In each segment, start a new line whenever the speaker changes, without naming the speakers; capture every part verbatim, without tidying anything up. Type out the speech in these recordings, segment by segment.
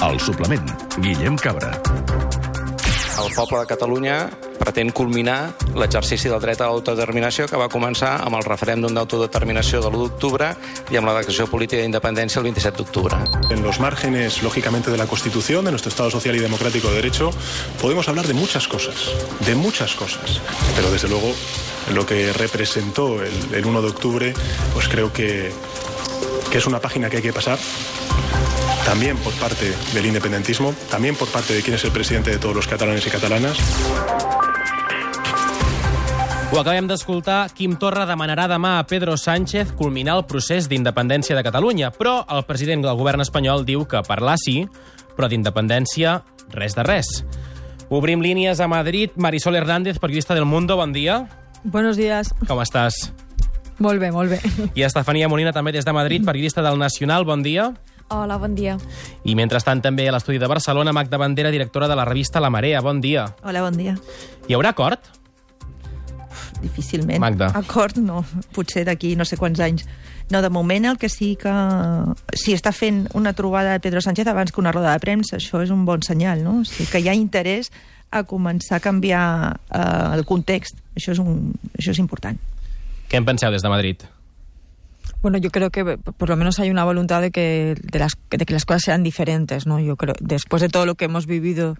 El suplement, Guillem Cabra.
El poble de Catalunya pretén culminar l'exercici del dret a l'autodeterminació que va començar amb el referèndum d'autodeterminació de l'u d'octubre i amb la declaració política d'independència el vint-i-set d'octubre.
En los márgenes, lógicamente, de la Constitución, de nuestro Estado social y democrático de derecho, podemos hablar de muchas cosas, de muchas cosas. Pero, desde luego, lo que representó el, el uno de octubre, pues creo que, que es una página que hay que pasar. También por parte del independentismo, también por parte de quien es el presidente de todos los catalanes y catalanas.
Ho acabem d'escoltar. Quim Torra demanarà demà a Pedro Sánchez culminar el procés d'independència de Catalunya, però el president del govern espanyol diu que parlar sí, però d'independència res de res. Obrim línies a Madrid. Marisol Hernández, periodista del Mundo, bon dia.
Buenos días.
Com estàs?
Molt bé, molt bé.
I Estefanía Molina, també des de Madrid, periodista del Nacional, bon dia.
Hola, bon dia.
I mentrestant també a l'estudi de Barcelona, Magda Bandera, directora de la revista La Marea, bon dia.
Hola, bon dia.
Hi haurà acord?
Difícilment.
Magda.
Acord no, potser d'aquí no sé quants anys. No, de moment el que sí que... Si està fent una trobada de Pedro Sánchez abans que una roda de premsa, això és un bon senyal, no? O sigui, que hi ha interès a començar a canviar eh, el context. Això és, un, això és important.
Què en penseu des de Madrid?
Bueno, yo creo que por lo menos hay una voluntad de que, de las, de que las cosas sean diferentes, ¿no? Yo creo, después de todo lo que hemos vivido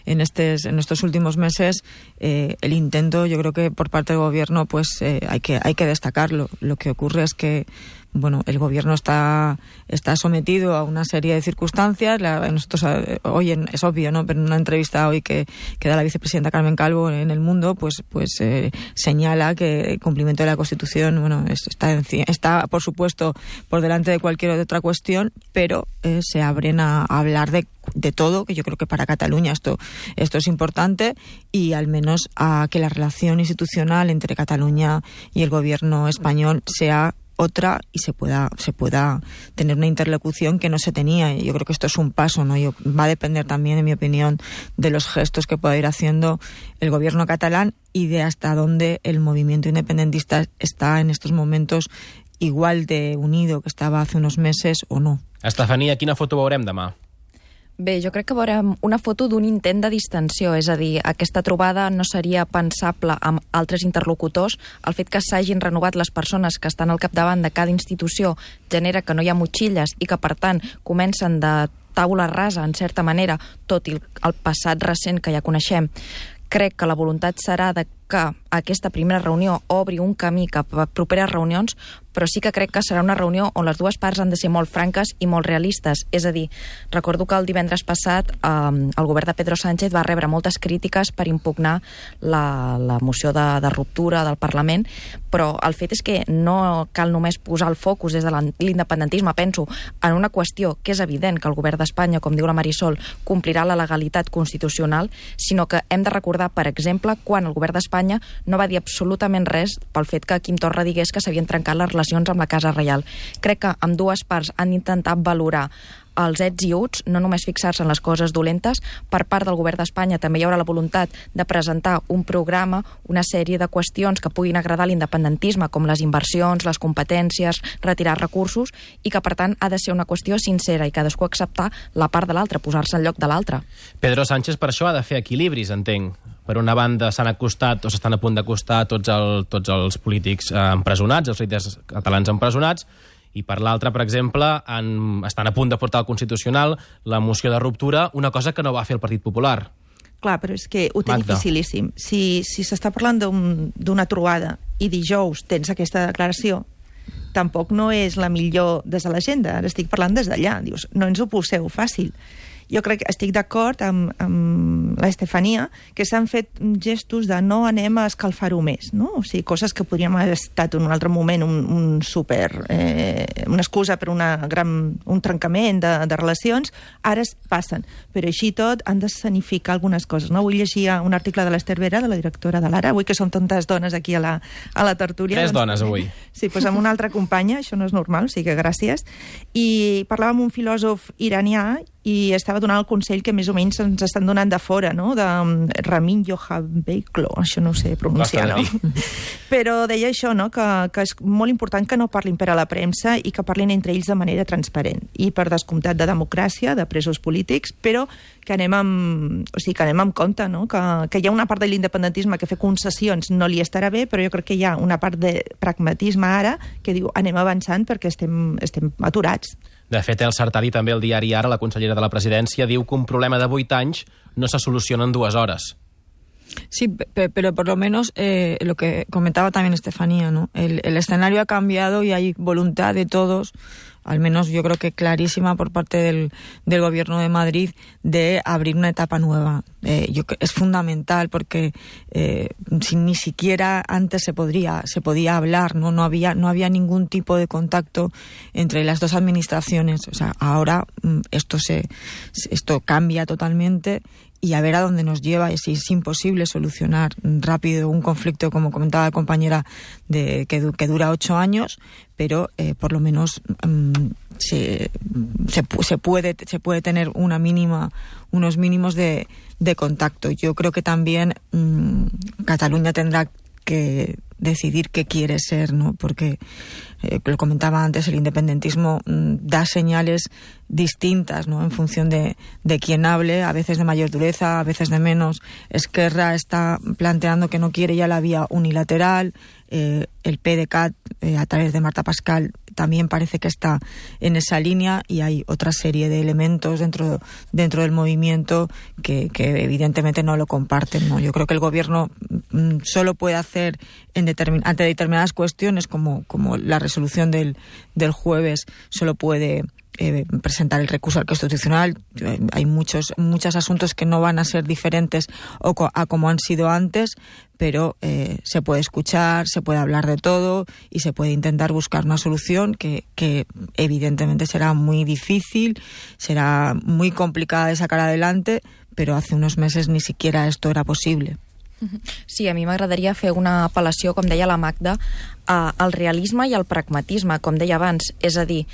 en, estes, en estos últimos meses, eh, el intento, yo creo que por parte del gobierno, pues eh, hay que, hay que destacarlo. Lo que ocurre es que, bueno, el gobierno está, está sometido a una serie de circunstancias. La, nosotros hoy en, es obvio, ¿no? Pero en una entrevista hoy que, que da la vicepresidenta Carmen Calvo en El Mundo, pues, pues eh, señala que el cumplimiento de la Constitución, bueno, es, está, está por supuesto por delante de cualquier otra cuestión, pero eh, se abren a, a hablar de de todo, que yo creo que para Cataluña esto, esto es importante, y al menos a que la relación institucional entre Cataluña y el gobierno español sea otra y se pueda se pueda tener una interlocución que no se tenía. Y yo creo que esto es un paso, ¿no? Yo, va a depender también, en mi opinión, de los gestos que pueda ir haciendo el gobierno catalán y de hasta dónde el movimiento independentista está en estos momentos igual de unido que estava hace unos meses o no.
Estefania, quina foto veurem demà?
Bé, jo crec que veurem una foto d'un intent de distensió, és a dir, aquesta trobada no seria pensable amb altres interlocutors. El fet que s'hagin renovat les persones que estan al capdavant de cada institució genera que no hi ha motxilles i que, per tant, comencen de taula rasa, en certa manera, tot i el passat recent que ja coneixem. Crec que la voluntat serà de que aquesta primera reunió obri un camí cap a properes reunions, però sí que crec que serà una reunió on les dues parts han de ser molt franques i molt realistes. És a dir, recordo que el divendres passat eh, el govern de Pedro Sánchez va rebre moltes crítiques per impugnar la, la moció de, de ruptura del Parlament, però el fet és que no cal només posar el focus des de l'independentisme, penso, en una qüestió que és evident que el govern d'Espanya, com diu la Marisol, complirà la legalitat constitucional, sinó que hem de recordar, per exemple, quan el govern d'Espanya no va dir absolutament res pel fet que Quim Torra digués que s'havien trencat les relacions amb la Casa Reial. Crec que ambdues parts han intentat valorar els ets i uts, no només fixar-se en les coses dolentes. Per part del govern d'Espanya també hi haurà la voluntat de presentar un programa, una sèrie de qüestions que puguin agradar a l'independentisme, com les inversions, les competències, retirar recursos, i que per tant ha de ser una qüestió sincera i cadascú acceptar la part de l'altre, posar-se al lloc de l'altre.
Pedro Sánchez per això ha de fer equilibris, entenc. Per una banda s'han acostat o s'estan a punt d'acostar tots, el, tots els polítics eh, empresonats, els líders catalans empresonats, i per l'altra, per exemple, han, estan a punt de portar al Constitucional la moció de ruptura, una cosa que no va fer el Partit Popular.
Clar, però és que ho té
Magda.
dificilíssim. Si si s'està parlant d'una un, trobada i dijous tens aquesta declaració, tampoc no és la millor des de l'agenda. Ara estic parlant des d'allà. Dius, no ens ho poseu fàcil. Jo crec que estic d'acord amb, amb l'Estefania, que s'han fet gestos de no anem a escalfar-ho més, no? O sigui, coses que podríem haver estat en un altre moment un, un super... Eh, una excusa per una gran, un trencament de, de relacions, ara es passen. Però així tot han de sanificar algunes coses, no? Avui llegia un article de l'Ester Vera, de la directora de l'Ara, avui que són tantes dones aquí a la, a la tertúlia.
Tres
doncs,
dones, avui.
Sí, doncs amb una altra companya, això no és normal, o sigui que gràcies. I parlava amb un filòsof iranià i estava donant el consell que més o menys ens estan donant de fora, no? De Ramin Johanbeiklo, això no ho sé pronunciar, no? Però deia això, no? Que, que és molt important que no parlin per a la premsa i que parlin entre ells de manera transparent. I per descomptat de democràcia, de presos polítics, però que anem amb, o sigui, que anem amb compte, no? Que, que hi ha una part de l'independentisme que fer concessions no li estarà bé, però jo crec que hi ha una part de pragmatisme ara que diu anem avançant perquè estem, estem aturats.
De fet, el Sartadi, també el diari Ara, la consellera de la presidència, diu que un problema de vuit anys no se soluciona en dues hores.
Sí, pero por lo menos eh, lo que comentaba también Estefanía, ¿no? El, el escenario ha cambiado y hay voluntad de todos, al menos yo creo que clarísima por parte del, del Gobierno de Madrid, de abrir una etapa nueva. Eh, yo, es fundamental porque eh, si ni siquiera antes se podría se podía hablar, no no había no había ningún tipo de contacto entre las dos administraciones. O sea, ahora esto se esto cambia totalmente. Y a ver a dónde nos lleva. Es, es imposible solucionar rápido un conflicto, como comentaba la compañera, de, que, que dura ocho años, pero eh, por lo menos um, se, se, se, puede, se puede tener una mínima, unos mínimos de, de contacto. Yo creo que también um, Cataluña tendrá que decidir qué quiere ser, ¿no? Porque, eh, lo comentaba antes, el independentismo mm, da señales distintas, ¿no? En función de, de quién hable, a veces de mayor dureza, a veces de menos. Esquerra está planteando que no quiere ya la vía unilateral, eh, el P D C A T, eh, a través de Marta Pascal, también parece que está en esa línea, y hay otra serie de elementos dentro, dentro del movimiento que, que evidentemente no lo comparten, ¿no? Yo creo que el gobierno mm, solo puede hacer en determin- ante determinadas cuestiones, como, como la resolución del, del jueves, solo puede eh, presentar el recurso al Constitucional. Eh, hay muchos, muchos asuntos que no van a ser diferentes o co- a como han sido antes, pero eh, se puede escuchar, se puede hablar de todo y se puede intentar buscar una solución que, que evidentemente será muy difícil, será muy complicada de sacar adelante, pero hace unos meses ni siquiera esto era posible.
Sí, a mi m'agradaria fer una apel·lació, com deia la Magda, al realisme i al pragmatisme, com deia abans. És a dir,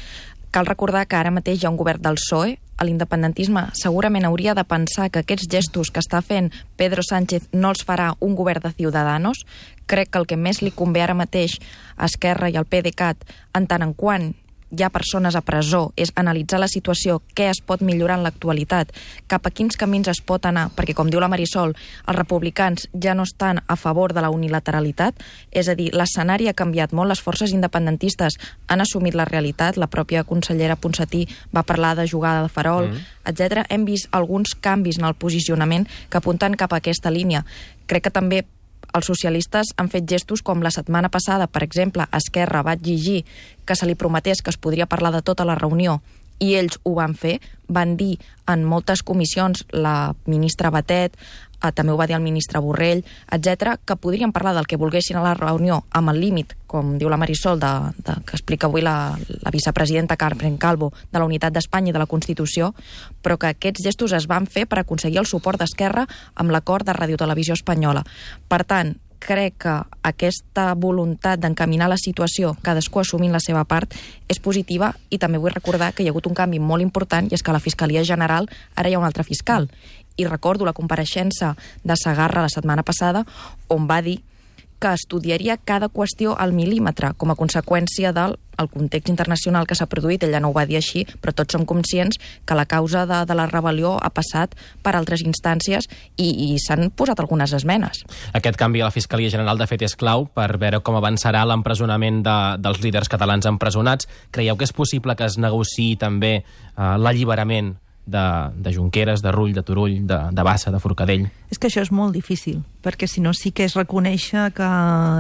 cal recordar que ara mateix hi ha un govern del P S O E, l'independentisme segurament hauria de pensar que aquests gestos que està fent Pedro Sánchez no els farà un govern de Ciudadanos. Crec que el que més li convé ara mateix a Esquerra i al P D C A T, en tant en quant hi ha persones a presó, és analitzar la situació, què es pot millorar en l'actualitat, cap a quins camins es pot anar, perquè, com diu la Marisol, els republicans ja no estan a favor de la unilateralitat, és a dir, l'escenari ha canviat molt, les forces independentistes han assumit la realitat, la pròpia consellera Ponsatí va parlar de jugada de farol, mm. etcètera. Hem vist alguns canvis en el posicionament que apunten cap a aquesta línia. Crec que també els socialistes han fet gestos com la setmana passada, per exemple, Esquerra va exigir que se li prometés que es podria parlar de tota la reunió, i ells ho van fer, van dir en moltes comissions, la ministra Batet, eh, també ho va dir el ministre Borrell, etcètera, que podrien parlar del que volguessin a la reunió amb el límit, com diu la Marisol, de, de, que explica avui la, la vicepresidenta Carmen Calvo, de la unitat d'Espanya i de la Constitució, però que aquests gestos es van fer per aconseguir el suport d'Esquerra amb l'acord de Radiotelevisió Espanyola. Per tant, crec que aquesta voluntat d'encaminar la situació, cadascú assumint la seva part, és positiva, i també vull recordar que hi ha hagut un canvi molt important, i és que a la Fiscalia General ara hi ha un altre fiscal. I recordo la compareixença de Segarra la setmana passada, on va dir que estudiaria cada qüestió al mil·límetre com a conseqüència del el context internacional que s'ha produït. Ella no ho va dir així, però tots som conscients que la causa de, de la rebel·lió ha passat per altres instàncies i, i s'han posat algunes esmenes.
Aquest canvi a la Fiscalia General, de fet, és clau per veure com avançarà l'empresonament de, dels líders catalans empresonats. Creieu que és possible que es negociï també eh, l'alliberament de, de Junqueras, de Rull, de Turull, de, de Bassa, de Forcadell?
És que això és molt difícil, perquè si no sí que és reconèixer que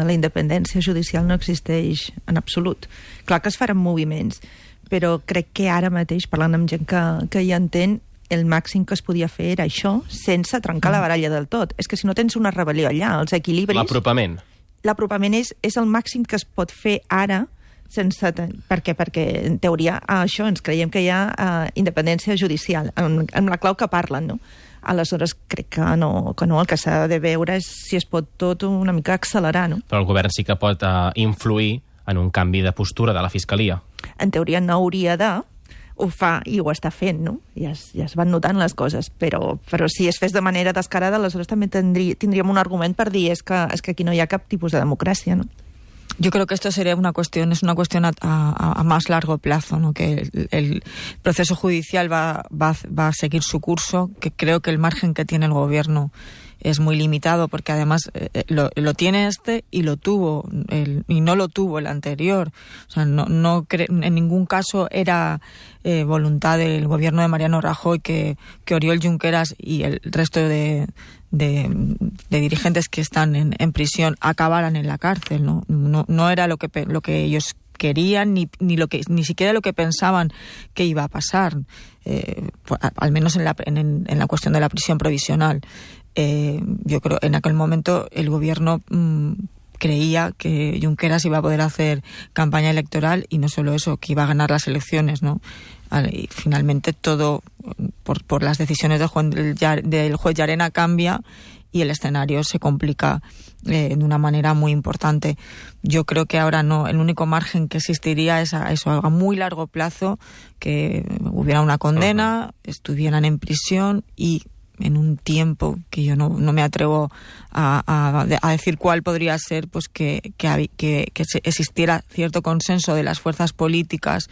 la independència judicial no existeix en absolut. Clar que es faran moviments, però crec que ara mateix, parlant amb gent que, que hi entén, el màxim que es podia fer era això, sense trencar la baralla del tot. És que si no tens una rebel·lió allà, els equilibris...
L'apropament.
L'apropament és, és el màxim que es pot fer ara, sense... Per què? Perquè, en teoria, això ens creiem que hi ha uh, independència judicial, amb, amb la clau que parlen, no? Aleshores, crec que no, que no, el que s'ha de veure és si es pot tot una mica accelerar, no?
Però el govern sí que pot uh, influir en un canvi de postura de la Fiscalia.
En teoria no hauria de... ho fa i ho està fent, no? Ja es, ja es van notant les coses, però, però si es fes de manera descarada, aleshores també tindrí, tindríem un argument per dir és que, és que aquí no hi ha cap tipus de democràcia, no?
Yo creo que esto sería una cuestión, es una cuestión a, a, a más largo plazo, ¿no? Que el, el proceso judicial va, va, va a seguir su curso, que creo que el margen que tiene el gobierno es muy limitado, porque además eh, lo, lo tiene este y lo tuvo, el, y no lo tuvo el anterior. O sea, no, no cre- en ningún caso era eh, voluntad del gobierno de Mariano Rajoy que, que Oriol Junqueras y el resto de, de, de dirigentes que están en, en prisión acabaran en la cárcel, ¿no? No, no era lo que, lo que ellos querían ni, ni lo que ni siquiera lo que pensaban que iba a pasar, eh, al menos en la, en, en la cuestión de la prisión provisional. Eh, yo creo en aquel momento el gobierno mmm, creía que Junqueras iba a poder hacer campaña electoral y no solo eso, que iba a ganar las elecciones, ¿no? Y finalmente todo por, por las decisiones del juez, del juez Llarena cambia y el escenario se complica eh, de una manera muy importante. Yo creo que ahora no, el único margen que existiría es a eso, a muy largo plazo, que hubiera una condena, uh-huh. estuvieran en prisión y en un tiempo que yo no, no me atrevo a, a, a decir cuál podría ser, pues que, que, que, que existiera cierto consenso de las fuerzas políticas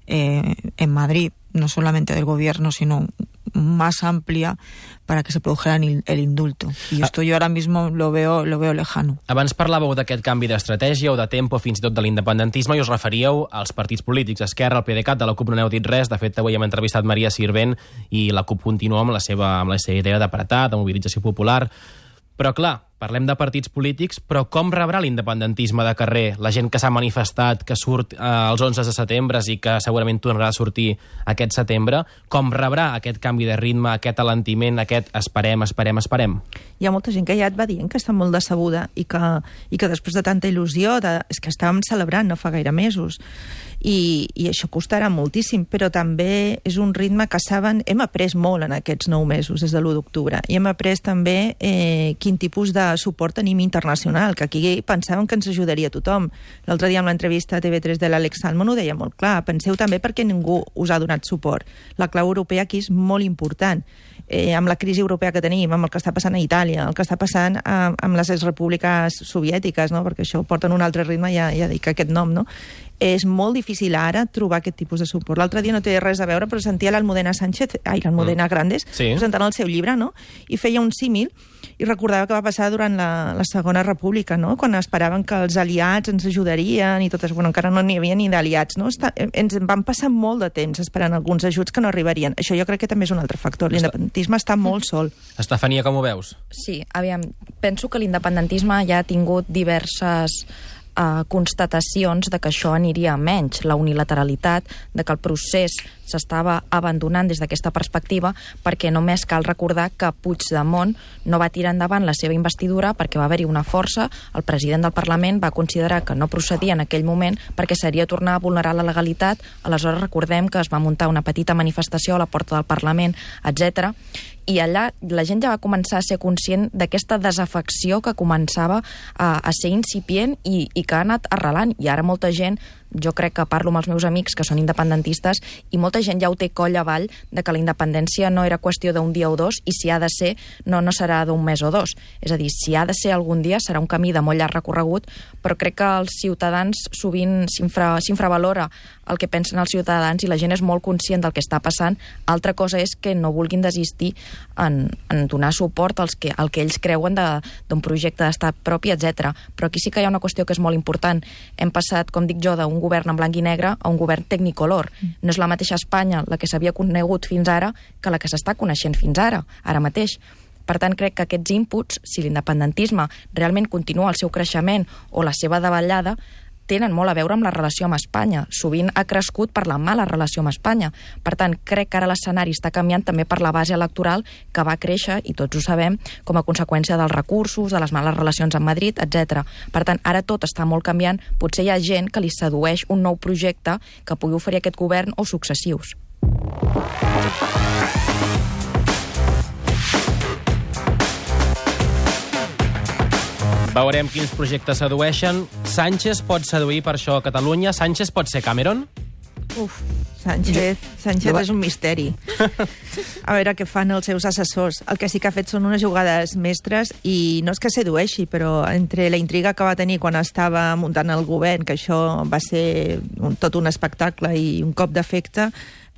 eh, en Madrid, no solamente del gobierno, sino más amplia, para que se produjera el indulto. I esto jo ara mismo lo veo, lo veo lejano.
Abans parlàveu d'aquest canvi d'estratègia o de tempo, fins i tot de l'independentisme, i us referíeu als partits polítics. Esquerra, el PDeCAT, de la CUP no n'heu dit res. De fet, avui hem entrevistat Maria Sirvent i la CUP continua amb la seva, amb la seva idea d'apretar, de mobilització popular. Però, clar, parlem de partits polítics, però com rebrà l'independentisme de carrer? La gent que s'ha manifestat, que surt eh, els onze de setembre i que segurament tornarà a sortir aquest setembre, com rebrà aquest canvi de ritme, aquest alentiment, aquest esperem, esperem, esperem?
Hi ha molta gent que ja et va dient que està molt decebuda i que, i que després de tanta il·lusió, de, és que estàvem celebrant no fa gaire mesos, i, i això costarà moltíssim, però també és un ritme que saben, hem après molt en aquests nou mesos, des de l'u d'octubre, i hem après també eh, quin tipus de suport tenim internacional, que aquí pensàvem que ens ajudaria tothom. L'altre dia amb l'entrevista a T V tres de l'Àlex Salmond ho deia molt clar, penseu també perquè ningú us ha donat suport. La clau europea aquí és molt important. Eh, amb la crisi europea que tenim, amb el que està passant a Itàlia, el que està passant eh, amb les exrepúbliques soviètiques, no? Perquè això porta en un altre ritme, ja, ja dic aquest nom, no? És molt difícil ara trobar aquest tipus de suport. L'altre dia no té res a veure, però sentia l'Almudena Sánchez, ai, l'Almudena mm. Grandes, sí. presentant el seu llibre, no? I feia un símil i recordava que va passar durant la, la Segona República, no? Quan esperaven que els aliats ens ajudarien i totes, bueno, encara no n'hi havia ni d'aliats, no? Està, ens van passar molt de temps esperant alguns ajuts que no arribarien. Això jo crec que també és un altre factor. L'independentisme està molt sol.
Estefania, com ho veus?
Sí, aviam, penso que l'independentisme ja ha tingut diverses Uh, constatacions de que això aniria a menys, la unilateralitat, de que el procés s'estava abandonant des d'aquesta perspectiva, perquè només cal recordar que Puigdemont no va tirar endavant la seva investidura perquè va haver-hi una força, el president del Parlament va considerar que no procedia en aquell moment perquè seria tornar a vulnerar la legalitat, aleshores recordem que es va muntar una petita manifestació a la porta del Parlament, etcètera, i allà la gent ja va començar a ser conscient d'aquesta desafecció que començava a, a ser incipient i, i que ha anat arrelant, i ara molta gent, jo crec que parlo amb els meus amics que són independentistes i molta gent ja ho té coll avall de que la independència no era qüestió d'un dia o dos i si ha de ser, no, no serà d'un mes o dos. És a dir, si ha de ser algun dia serà un camí de molt llarg recorregut, però crec que els ciutadans sovint s'infra, s'infravalora el que pensen els ciutadans i la gent és molt conscient del que està passant. Altra cosa és que no vulguin desistir en, en donar suport als que, al que ells creuen de, d'un projecte d'estat propi, etcètera. Però aquí sí que hi ha una qüestió que és molt important. Hem passat, com dic jo, d'un govern en blanc i negre a un govern tecnicolor. No és la mateixa Espanya la que s'havia conegut fins ara que la que s'està coneixent fins ara, ara mateix. Per tant, crec que aquests inputs, si l'independentisme realment continua el seu creixement o la seva davallada, tenen molt a veure amb la relació amb Espanya. Sovint ha crescut per la mala relació amb Espanya. Per tant, crec que ara l'escenari està canviant també per la base electoral que va créixer, i tots ho sabem, com a conseqüència dels recursos, de les males relacions amb Madrid, etcètera. Per tant, ara tot està molt canviant. Potser hi ha gent que li sedueix un nou projecte que pugui oferir aquest govern o successius.
Veurem quins projectes sedueixen. Sánchez pot seduir per això a Catalunya? Sánchez pot ser Cameron?
Uf, Sánchez, Sánchez és un misteri. A veure què fan els seus assessors. El que sí que ha fet són unes jugades mestres i no és que sedueixi, però entre la intriga que va tenir quan estava muntant el govern, que això va ser un, tot un espectacle i un cop d'efecte,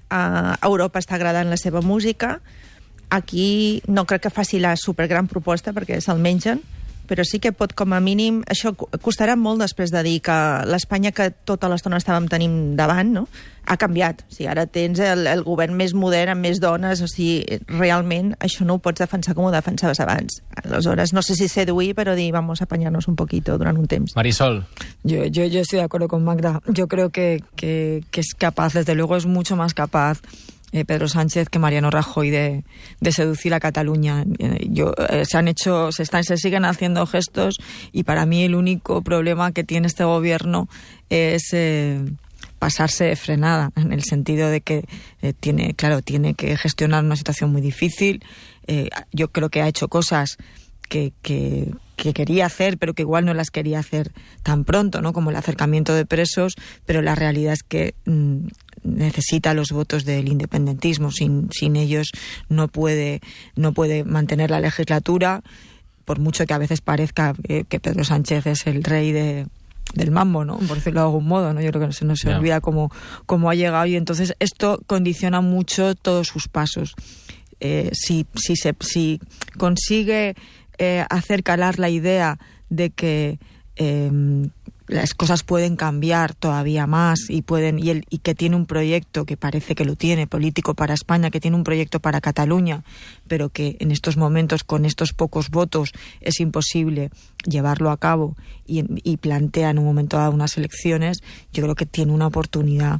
a Europa està agradant la seva música. Aquí no crec que faci la supergran proposta perquè se'l mengen, però sí que pot, com a mínim, això costarà molt després de dir que l'Espanya que tota l'estona estàvem tenint davant, no?, ha canviat. O sigui, ara tens el, el govern més modern, amb més dones, o sigui, realment això no ho pots defensar com ho defensaves abans. Aleshores, no sé si seduir, però dir, vamos a apañarnos un poquito durant un temps.
Marisol.
Yo, yo, yo estoy de acuerdo con Magda. Yo creo que, que, que es capaz, desde luego es mucho más capaz Eh, Pedro Sánchez que Mariano Rajoy de, de seducir a Cataluña. Eh, yo, eh, se han hecho, se están, se siguen haciendo gestos y para mí el único problema que tiene este gobierno es eh, pasarse de frenada, en el sentido de que eh, tiene, claro, tiene que gestionar una situación muy difícil. Eh, yo creo que ha hecho cosas que, que, que quería hacer, pero que igual no las quería hacer tan pronto, ¿no?, como el acercamiento de presos, pero la realidad es que mmm, necesita los votos del independentismo. Sin, sin ellos no puede, no puede mantener la legislatura, por mucho que a veces parezca eh, que Pedro Sánchez es el rey de, del mambo, ¿no?, por decirlo de algún modo, ¿no? Yo creo que no se nos
Yeah.
olvida cómo, cómo ha llegado, y entonces esto condiciona mucho todos sus pasos. Eh, si, si, se, si consigue eh, hacer calar la idea de que eh, las cosas pueden cambiar todavía más y pueden y, el, y que tiene un proyecto, que parece que lo tiene, político para España, que tiene un proyecto para Cataluña, pero que en estos momentos, con estos pocos votos, es imposible llevarlo a cabo y, y plantea en un momento dado unas elecciones, yo creo que tiene una oportunidad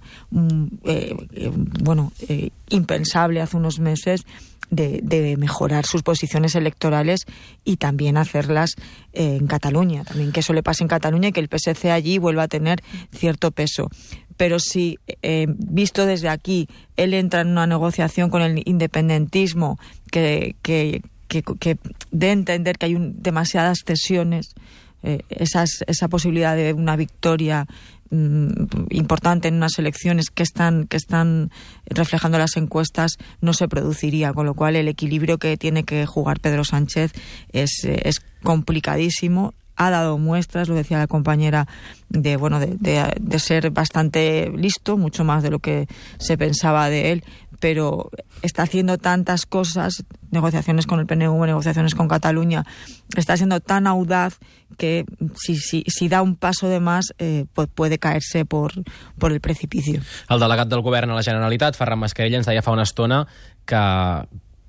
eh, eh, bueno, eh, impensable hace unos meses De, de mejorar sus posiciones electorales y también hacerlas eh, en Cataluña, también que eso le pase en Cataluña y que el P S C allí vuelva a tener cierto peso. Pero si, eh, visto desde aquí, él entra en una negociación con el independentismo que, que, que, que dé a entender que hay un, demasiadas cesiones, eh, esas, esa posibilidad de una victoria importante en unas elecciones que están que están reflejando las encuestas, no se produciría, con lo cual el equilibrio que tiene que jugar Pedro Sánchez es, es complicadísimo. Ha dado muestras, lo decía la compañera, de bueno de, de, de ser bastante listo, mucho más de lo que se pensaba de él, pero está haciendo tantas cosas, negociaciones con el P N V, negociaciones con Cataluña, está siendo tan audaz que si, si, si da un paso de más eh, pues puede caerse por, por el precipicio.
El delegat del govern a la Generalitat, Ferran Mascarell, ens deia fa una estona que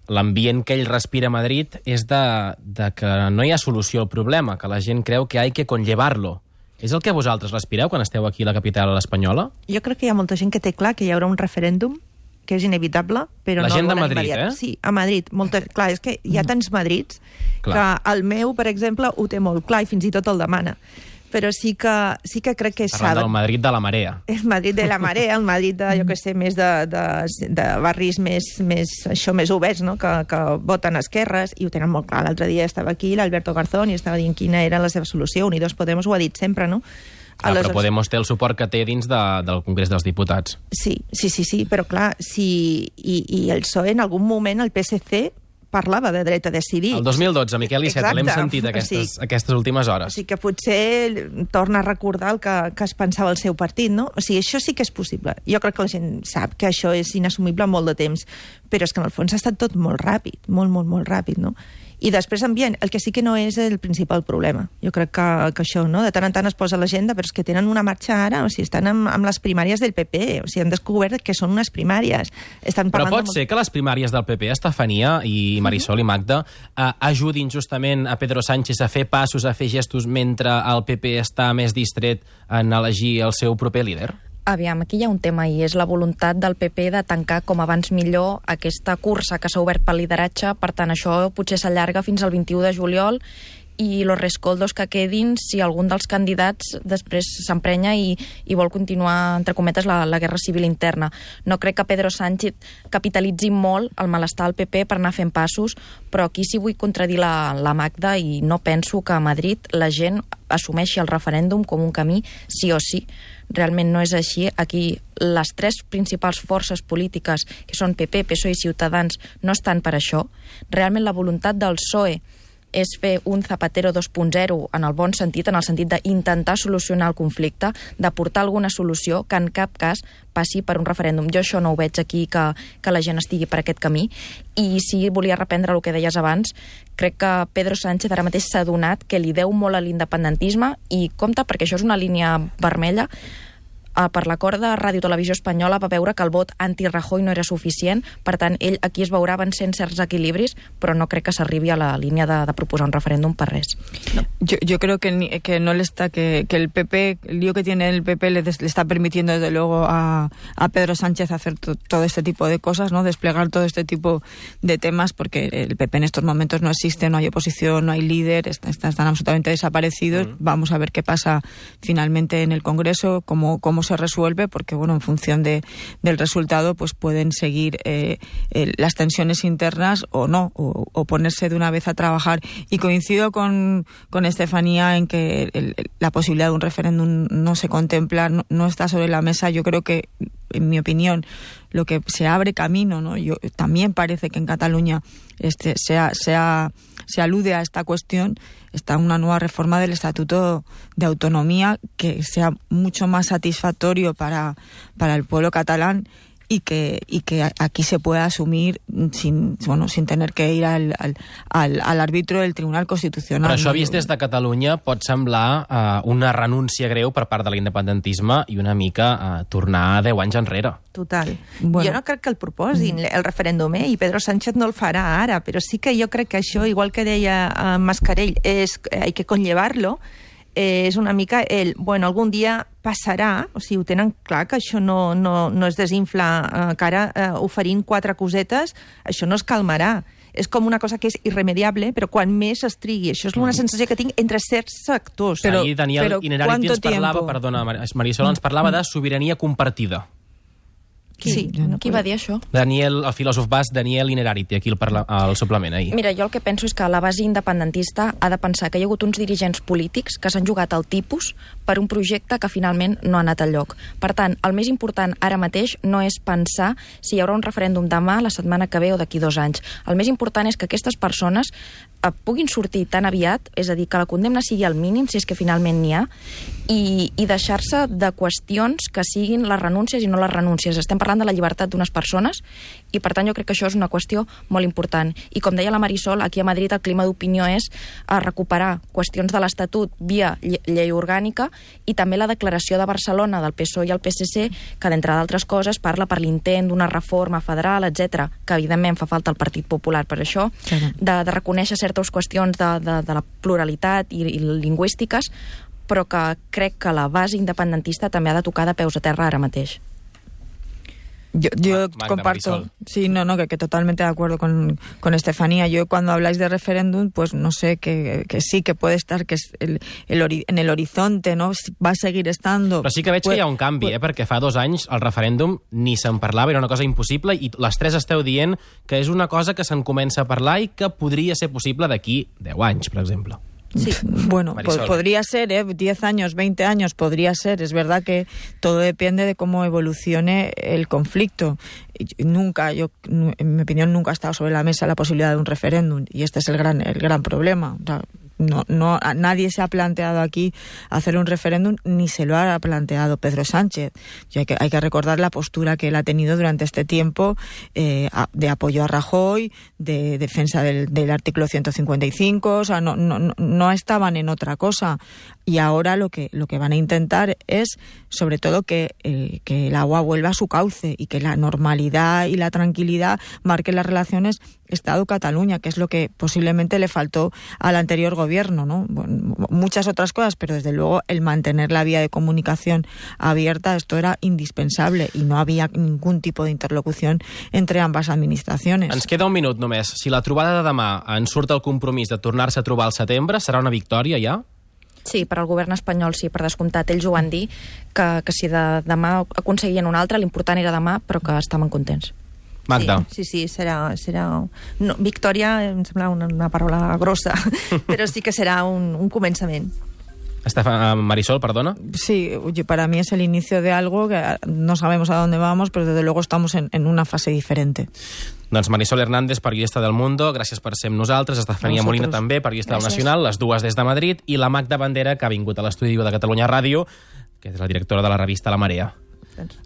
l'ambient que ell respira a Madrid és de, de que no hi ha solució al problema, que la gent creu que hay que conllevarlo. És el que vosaltres respireu quan esteu aquí a la capital espanyola?
Jo crec que hi ha molta gent que té clar que hi haurà un referèndum que és inevitable, però
la
no
gent
el
de
volen
Madrid,
immediat.
eh?
Sí, a Madrid. Molta... Clar, és que hi ha tants Madrids
Clar.
que el meu, per exemple, ho té molt clar i fins i tot el demana. Però sí que, sí que crec que
Parlant
saben...
del Madrid de la marea.
El Madrid de la marea, el Madrid de, jo que sé, més de, de, de barris més, més, això, més oberts, no?, que, que voten esquerres, i ho tenen molt clar. L'altre dia estava aquí l'Alberto Garzón i estava dient quina era la seva solució. Unidos Podemos ho ha dit sempre, no?
Ah, Aleshores... Però Podemos té el suport que té dins de, del Congrés dels Diputats.
Sí, sí, sí, sí, però clar, si, i, i el P S O E en algun moment, el P S C parlava de dret a decidir.
El dos mil dotze, Miquel Iceta, l'hem sentit
o
aquestes,
sigui,
aquestes últimes hores.
O sigui que potser torna a recordar el que, que es pensava el seu partit, no? O sigui, això sí que és possible. Jo crec que la gent sap que això és inassumible molt de temps, però és que en el fons ha estat tot molt ràpid, molt, molt, molt ràpid, no? I després ambient, el que sí que no és el principal problema. Jo crec que, que això, no?, de tant en tant es posa a l'agenda, però és que tenen una marxa ara, o sigui, estan amb, amb les primàries del P P, o sigui, han descobert que són unes primàries. Estan
però pot
de...
ser que les primàries del P P, Estefania i Marisol i Magda, eh, ajudin justament a Pedro Sánchez a fer passos, a fer gestos, mentre el P P està més distret en elegir el seu proper líder?
Aviam, aquí hi ha un tema i és la voluntat del P P de tancar com abans millor aquesta cursa que s'ha obert pel lideratge, per tant això potser s'allarga fins al vint-i-u de juliol i los rescoldos que quedin si algun dels candidats després s'emprenya i, i vol continuar, entre cometes, la, la guerra civil interna. No crec que Pedro Sánchez capitalitzi molt el malestar al P P per anar fent passos, però aquí sí vull contradir la, la Magda i no penso que a Madrid la gent assumeixi el referèndum com un camí sí o sí. Realment no és així. Aquí les tres principals forces polítiques, que són P P, P S O E i Ciutadans, no estan per això. Realment la voluntat del P S O E és fer un Zapatero dos punt zero en el bon sentit, en el sentit d'intentar solucionar el conflicte, d'aportar alguna solució que en cap cas passi per un referèndum. Jo això no ho veig aquí, que, que la gent estigui per aquest camí. I sí, volia reprendre el que deies abans. Crec que Pedro Sánchez ara mateix s'ha adonat que li deu molt a l'independentisme i compte, perquè això és una línia vermella. Per l'acord de Ràdio Televisió Espanyola va veure que el vot anti-Rajoy no era suficient, per tant, ell aquí es veurà vencent certs equilibris, però no crec que s'arribi a la línia de, de proposar un referèndum per res.
No. Yo, yo creo que, que no le está, que, que el P P, el lío que tiene el P P le, des, le está permitiendo desde luego a, a Pedro Sánchez hacer to, todo este tipo de cosas, ¿no? Desplegar todo este tipo de temas, porque el P P en estos momentos no existe, no hay oposición, no hay líder, está, está, están absolutamente desaparecidos. Mm. Vamos a ver qué pasa finalmente en el Congreso, cómo, cómo se resuelve, porque bueno, en función de, del resultado pues pueden seguir eh, eh, las tensiones internas o no, o, o ponerse de una vez a trabajar. Y coincido con, con Estefanía en que el, el, la posibilidad de un referéndum no se contempla, no, no está sobre la mesa. Yo creo que, en mi opinión, lo que se abre camino, ¿no? Yo, también parece que en Cataluña este, se, ha, se, ha, se alude a esta cuestión, está una nueva reforma del Estatuto de Autonomía que sea mucho más satisfactorio para, para el pueblo catalán y que, y que aquí se pueda asumir sin, bueno, sin tener que ir al, al, al, al árbitro del Tribunal Constitucional.
Però això vist des de Catalunya pot semblar uh, una renúncia greu per part de l'independentisme i una mica uh, tornar deu anys enrere.
Total. Bueno. Jo no crec que el proposin, el referèndum, eh? I Pedro Sánchez no el farà ara, però sí que jo crec que això, igual que deia uh, Mascarell, és, hay que conllevar-lo. Eh, és una mica el, bueno, algun dia passarà, o sigui, ho tenen clar que això no, no, no es desinfla, eh, que ara eh, oferint quatre cosetes, això no es calmarà. És com una cosa que és irremediable, però quan més es trigui. Això és una sensació que tinc entre certs sectors.
Però, Ahir Daniel Inerarity ens parlava, tiempo? perdona, Marisol, ens parlava de sobirania compartida.
Qui, sí, no qui va dir això?
Daniel, el filòsof basc Daniel Inerarity, aquí el, parla, el suplement ahir.
Mira, jo el que penso és que la base independentista ha de pensar que hi ha hagut uns dirigents polítics que s'han jugat al tipus per un projecte que finalment no ha anat al lloc. Per tant, el més important ara mateix no és pensar si hi haurà un referèndum demà, la setmana que ve o d'aquí dos anys. El més important és que aquestes persones eh, puguin sortir tan aviat, és a dir, que la condemna sigui al mínim, si és que finalment n'hi ha, i, i deixar-se de qüestions que siguin les renúncies i no les renúncies. Estem parlant de la llibertat d'unes persones i, per tant, jo crec que això és una qüestió molt important. I, com deia la Marisol, aquí a Madrid el clima d'opinió és a recuperar qüestions de l'Estatut via llei orgànica i també la declaració de Barcelona del P S O E i el P S C, que, d'entre d'altres coses, parla per l'intent d'una reforma federal, etcètera, que, evidentment, fa falta el Partit Popular per això, de, de reconèixer certes qüestions de, de, de la pluralitat i, i lingüístiques, però que crec que la base independentista també ha de tocar de peus a terra ara mateix.
Yo, yo Magda, comparto, Marisol. Sí, no, no, que, que totalmente de acuerdo con, con Estefanía. Yo cuando habláis de referéndum, pues no sé, que, que sí, que puede estar, que es el, el ori, en el horizonte, no? Va a seguir estando.
Però sí que veig pues, que hi ha un canvi, pues, eh? Perquè fa dos anys el referèndum ni se'n parlava, era una cosa impossible, i les tres esteu dient que és una cosa que se'n comença a parlar i que podria ser possible d'aquí deu anys, per exemple.
Sí. Bueno, po podría ser, ¿eh? diez años, veinte años, podría ser. Es verdad que todo depende de cómo evolucione el conflicto. Nunca, yo, en mi opinión, nunca ha estado sobre la mesa la posibilidad de un referéndum, y este es el gran, el gran problema. O sea, no, no, nadie se ha planteado aquí hacer un referéndum, ni se lo ha planteado Pedro Sánchez. Y hay que, hay que recordar la postura que él ha tenido durante este tiempo eh, de apoyo a Rajoy, de defensa del, del artículo ciento cincuenta y cinco, o sea, no, no, no estaban en otra cosa. Y ahora lo que, lo que van a intentar es, sobre todo, que, eh, que el agua vuelva a su cauce y que la normalidad y la tranquilidad marquen las relaciones Estado Cataluña, que es lo que posiblemente le faltó al anterior gobierno, ¿no? Bueno, muchas otras cosas, pero desde luego el mantener la vía de comunicación abierta, esto era indispensable y no había ningún tipo de interlocución entre ambas administraciones.
Ens queda un minut només. Si la trobada de demà en surt el compromís de tornar-se a trobar al setembre, serà una victòria ja?
Sí, per al govern espanyol sí, per descomptat. Ells ho van dir, que, que si de demà aconseguien un altre, l'important era demà, però que estaven contents.
Magda.
Sí, sí, sí, serà... serà... No, victòria em sembla una, una paraula grossa, però sí que serà un, un començament.
Estefan, Marisol, perdona.
Sí, oye, para mí es el inicio de algo que no sabemos a dónde vamos, pero desde luego estamos en, en una fase diferente.
Doncs Marisol Hernández, periodista del Mundo, gràcies per ser amb nosaltres. Estefania Molina també, periodista del Nacional, les dues des de Madrid, i la Magda Bandera, que ha vingut a l'estudi de Catalunya Ràdio, que és la directora de la revista La Marea.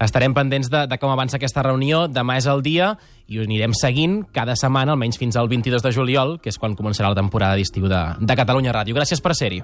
Estarem pendents de, de com avança aquesta reunió. Demà és el dia i ho anirem seguint cada setmana, almenys fins al vint-i-dos de juliol, que és quan començarà la temporada d'estiu de, de Catalunya Ràdio. Gràcies per ser-hi.